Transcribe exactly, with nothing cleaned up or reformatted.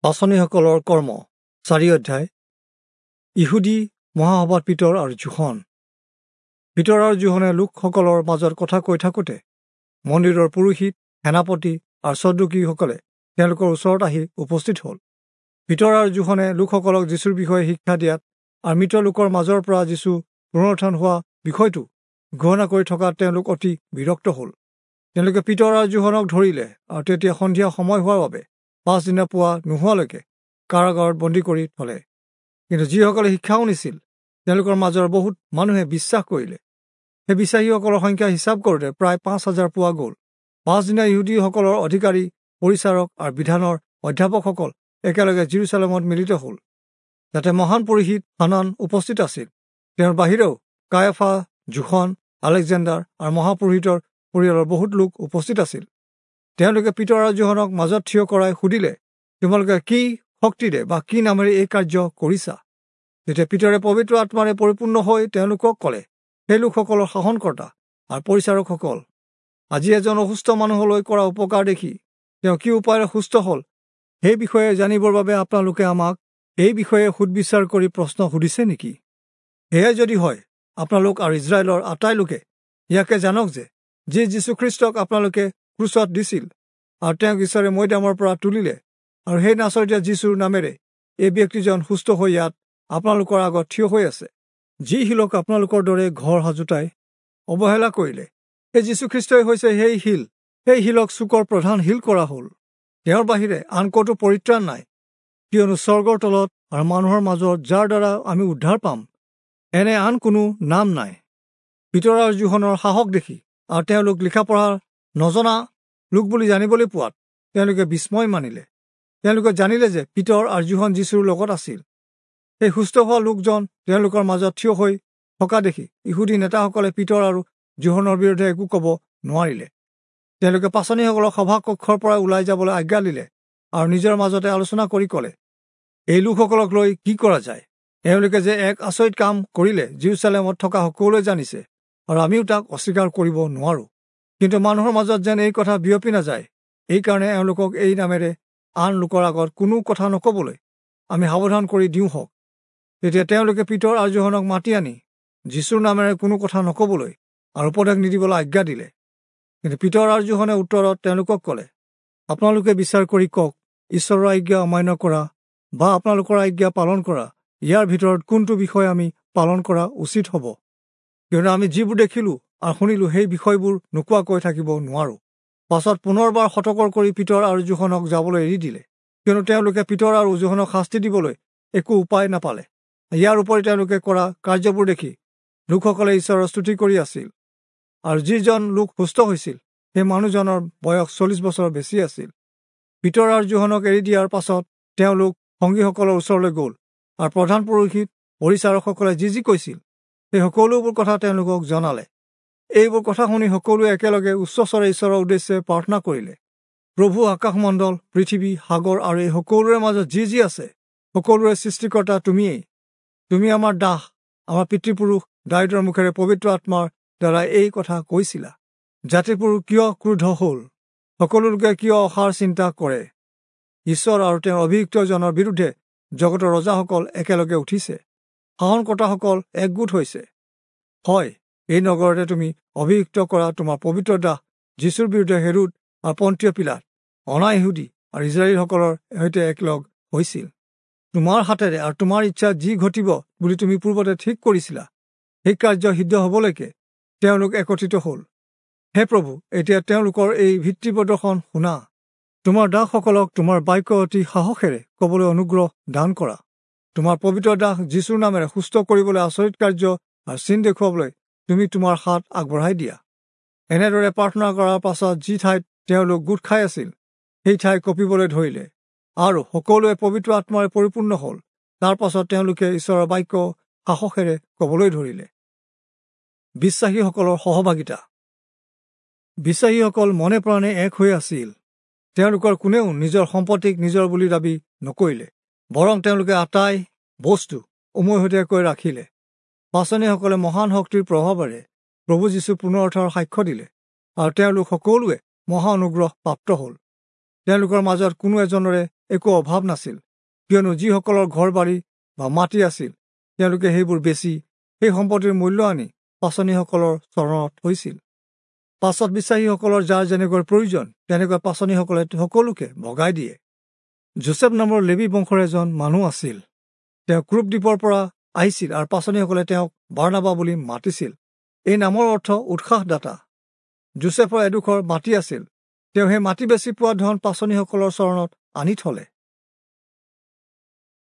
পাঁচনিসকলৰ কৰ্ম চাৰি অধ্যায়। ইহুদী মহাসভাত পিতৰ আৰু যোহন। পিতৰ আৰু যোহনে লোকসকলৰ মাজত কথা কৈ থাকোঁতে মন্দিৰৰ পুৰোহিত, সেনাপতি আৰু চদ্দুকীসকলে তেওঁলোকৰ ওচৰত আহি উপস্থিত হ'ল। পিতৰ আৰু যোহনে লোকসকলক যীশুৰ বিষয়ে শিক্ষা দিয়াত আৰু মৃত লোকৰ মাজৰ পৰা যীশু পুনৰুত্থান হোৱা বিষয়টো ঘোষণা কৰি থকাত তেওঁলোক অতি বিৰক্ত হ'ল। তেওঁলোকে পিতৰ আৰু যোহনক ধৰিলে আৰু তেতিয়া সন্ধিয়া সময় হোৱাৰ বাবে পাছদিনা পুৱা নোহোৱালৈকে কাৰাগাৰত বন্দী কৰি থলে। কিন্তু যিসকলে শিক্ষা শুনিছিল তেওঁলোকৰ মাজৰ বহুত মানুহে বিশ্বাস কৰিলে। সেই বিশ্বাসীসকলৰ সংখ্যা হিচাপ কৰোঁতে প্ৰায় পাঁচ হাজাৰ পোৱা গ'ল। পাছদিনা ইহুদীসকলৰ অধিকাৰী, পৰিচাৰক আৰু বিধানৰ অধ্যাপকসকল একেলগে জিৰচালেমত মিলিত হ'ল। যাতে মহান পুৰোহিত হানান উপস্থিত আছিল। তেওঁৰ বাহিৰেও কায়ফা, যোহন, আলেকজেণ্ডাৰ আৰু মহাপুৰোহিতৰ পৰিয়ালৰ বহুত লোক উপস্থিত আছিল। তেওঁলোকে পিতৰ আৰু যোহনক মাজত থিয় কৰাই সুধিলে, তোমালোকে কি শক্তিৰে বা কি নামেৰে এই কাৰ্য কৰিছা? তেতিয়া পিতৰে পবিত্ৰ আত্মাৰে পৰিপূৰ্ণ হৈ তেওঁলোকক ক'লে, সেই লোকসকলৰ শাসনকৰ্তা আৰু পৰিচাৰকসকল, আজি এজন অসুস্থ মানুহলৈ কৰা উপকাৰ দেখি তেওঁ কি উপায়েৰে সুস্থ হ'ল সেই বিষয়ে জানিবৰ বাবে আপোনালোকে আমাক এই বিষয়ে সুদবিচাৰ কৰি প্ৰশ্ন সুধিছে নেকি? সেয়াই যদি হয়, আপোনালোক আৰু ইজৰাইলৰ আটাই লোকে ইয়াকে জানক যে যি যীশুখ্ৰীষ্টক আপোনালোকে ক্ৰুচত দিছিল আৰু তেওঁক ঈশ্বৰে মৈদামৰ পৰা তুলিলে, আৰু সেই নাচৰতীয়া যীশুৰ নামেৰে এই ব্যক্তিজন সুস্থ হৈ ইয়াত আপোনালোকৰ আগত থিয় হৈ আছে। যি শিলক আপোনালোকৰ দৰে ঘৰ সাজোতাই অৱহেলা কৰিলে, সেই যীশুখ্ৰীষ্টই হৈছে সেই শিল। সেই শিলক চুকৰ প্ৰধান শিল কৰা হ'ল। তেওঁৰ বাহিৰে আন ক'তো পৰিত্ৰাণ নাই, কিয়নো স্বৰ্গৰ তলত আৰু মানুহৰ মাজত যাৰ দ্বাৰা আমি উদ্ধাৰ পাম এনে আন কোনো নাম নাই। পিতৰ আৰু যোহনৰ সাহস দেখি আৰু তেওঁলোক লিখা পঢ়া নজনা লোক বুলি জানিবলৈ পোৱাত তেওঁলোকে বিস্ময় মানিলে। তেওঁলোকে জানিলে যে পিতৰ আৰু যোহন যীশুৰ লগত আছিল। সেই সুস্থ হোৱা লোকজন তেওঁলোকৰ মাজত থিয় হৈ থকা দেখি ইহুদী নেতাসকলে পিতৰ আৰু যোহনৰ বিৰুদ্ধে একো ক'ব নোৱাৰিলে। তেওঁলোকে পাঁচনিসকলক সভাকক্ষৰ পৰা ওলাই যাবলৈ আজ্ঞা দিলে আৰু নিজৰ মাজতে আলোচনা কৰি ক'লে, এই লোকসকলক লৈ কি কৰা যায়? এওঁলোকে যে এক আচৰিত কাম কৰিলে জিৰচালেমত থকা সকলোৱে জানিছে আৰু আমিও তাক অস্বীকাৰ কৰিব নোৱাৰোঁ। কিন্তু মানুহৰ মাজত যেন এই কথা বিয়পি নাযায়, এইকাৰণে এওঁলোকক এই নামেৰে আন লোকৰ আগত কোনো কথা নক'বলৈ আমি সাৱধান কৰি দিওঁ হওক। তেতিয়া তেওঁলোকে পিতৰ আৰু যোহনক মাতি আনি যীশুৰ নামেৰে কোনো কথা নক'বলৈ আৰু উপদেশ নিদিবলৈ আজ্ঞা দিলে। কিন্তু পিতৰ আৰু যোহনে উত্তৰত তেওঁলোকক ক'লে, আপোনালোকে বিচাৰ কৰি কওক, ঈশ্বৰৰ আজ্ঞা অমান্য কৰা বা আপোনালোকৰ আজ্ঞা পালন কৰা, ইয়াৰ ভিতৰত কোনটো বিষয় আমি পালন কৰা উচিত হ'ব? কিয়নো আমি যিবোৰ দেখিলোঁ আৰু শুনিলোঁ সেই বিষয়বোৰ নোকোৱাকৈ থাকিব নোৱাৰোঁ। পাছত পুনৰবাৰ সতৰ্ক কৰি পিতৰ আৰু যোহনক যাবলৈ এৰি দিলে, কিয়নো তেওঁলোকে পিতৰ আৰু যোহনক শাস্তি দিবলৈ একো উপায় নাপালে। ইয়াৰ উপৰি তেওঁলোকে কৰা কাৰ্যবোৰ দেখি লোকসকলে ঈশ্বৰৰ স্তুতি কৰি আছিল। আৰু যিজন লোক সুস্থ হৈছিল সেই মানুহজনৰ বয়স চল্লিছ বছৰ বেছি আছিল। পিতৰ আৰু যোহনক এৰি দিয়াৰ পাছত তেওঁলোক সংগীসকলৰ ওচৰলৈ গ'ল আৰু প্ৰধান পুৰোহিত, পৰিচাৰকসকলে যি যি কৈছিল সেই সকলোবোৰ কথা তেওঁলোকক জনালে। এইবোৰ কথা শুনি সকলোৱে একেলগে উচ্চস্বৰে ঈশ্বৰৰ উদ্দেশ্যে প্ৰাৰ্থনা কৰিলে, প্ৰভু, আকাশমণ্ডল, পৃথিৱী, সাগৰ আৰু এই সকলোৰে মাজত যি যি আছে সকলোৰে সৃষ্টিকৰ্তা তুমিয়েই। তুমি আমাৰ দাস, আমাৰ পিতৃপুৰুষ দায়ূদৰ মুখেৰে পবিত্ৰ আত্মাৰ দ্বাৰা এই কথা কৈছিলা। জাতিবোৰ কিয় ক্ৰোধ হ'ল? সকলো লোকে কিয় অসাৰ চিন্তা কৰে? ঈশ্বৰ আৰু তেওঁৰ অভিষিক্তজনৰ বিৰুদ্ধে জগতৰ ৰজাসকল একেলগে উঠিছে, শাসনকৰ্তাসকল একগোট হৈছে। হয়, এই নগৰতে তুমি অভিষিক্ত কৰা তোমাৰ পবিত্ৰ দাস যীশুৰ বিৰুদ্ধে হেৰোদ আৰু পন্তীয় পীলাত অনা ইহুদী আৰু ইজৰাইলসকলৰ সৈতে একলগ হৈছিল। তোমাৰ হাতেৰে আৰু তোমাৰ ইচ্ছা যি ঘটিব বুলি তুমি পূৰ্বতে ঠিক কৰিছিলা, সেই কাৰ্য সিদ্ধ হ'বলৈকে তেওঁলোক একত্ৰিত হ'ল। হে প্ৰভু, এতিয়া তেওঁলোকৰ এই ভিত্তি প্ৰদৰ্শন শুনা। তোমাৰ দাসসকলক তোমাৰ বাক্য অতি সাহসেৰে ক'বলৈ অনুগ্ৰহ দান কৰা। তোমাৰ পবিত্ৰ দাস যীশুৰ নামেৰে সুস্থ কৰিবলৈ আচৰিত কাৰ্য আৰু চিন দেখুৱাবলৈ তুমি তোমাৰ হাত আগবঢ়াই দিয়া। এনেদৰে প্ৰাৰ্থনা কৰাৰ পাছত যি ঠাইত তেওঁলোক গোট খাই আছিল সেই ঠাই কঁপিবলৈ ধৰিলে আৰু সকলোৱে পবিত্ৰ আত্মাৰে পৰিপূৰ্ণ হ'ল। তাৰ পাছত তেওঁলোকে ঈশ্বৰৰ বাক্য সাহসেৰে ক'বলৈ ধৰিলে। বিশ্বাসীসকলৰ সহভাগিতা। বিশ্বাসীসকল মনে প্ৰাণে এক হৈ আছিল। তেওঁলোকৰ কোনেও নিজৰ সম্পত্তিক নিজৰ বুলি দাবী নকৰিলে, বৰং তেওঁলোকে আটাই বস্তু উমৈহতীয়াকৈ ৰাখিলে। পাঁচনিসকলে মহান শক্তিৰ প্ৰভাৱেৰে প্ৰভু যীশু পুনৰুত্থানৰ সাক্ষ্য দিলে আৰু তেওঁলোক সকলোৱে মহা অনুগ্ৰহ প্ৰাপ্ত হ'ল। তেওঁলোকৰ মাজত কোনো এজনৰে একো অভাৱ নাছিল, কিয়নো যিসকলৰ ঘৰ বাৰী বা মাটি আছিল তেওঁলোকে সেইবোৰ বেচি সেই সম্পত্তিৰ মূল্য আনি পাচনিসকলৰ চৰণত থৈছিল। পাছত বিশ্বাসীসকলৰ যাৰ যেনেকৈ প্ৰয়োজন তেনেকৈ পাচনিসকলে সকলোকে ভগাই দিয়ে। যোচেফ নামৰ লেবী বংশৰ এজন মানুহ আছিল। তেওঁ ক্ৰুপ দ্বীপৰ পৰা আহিছিল আৰু পাচনিসকলে তেওঁক বাৰ্ণাবা বুলি মাতিছিল। এই নামৰ অৰ্থ উৎসাহদাতা। যোচেফৰ এডোখৰ মাটি আছিল। তেওঁ সেই মাটি বেচি পোৱা ধন পাচনিসকলৰ চৰণত আনি থলে।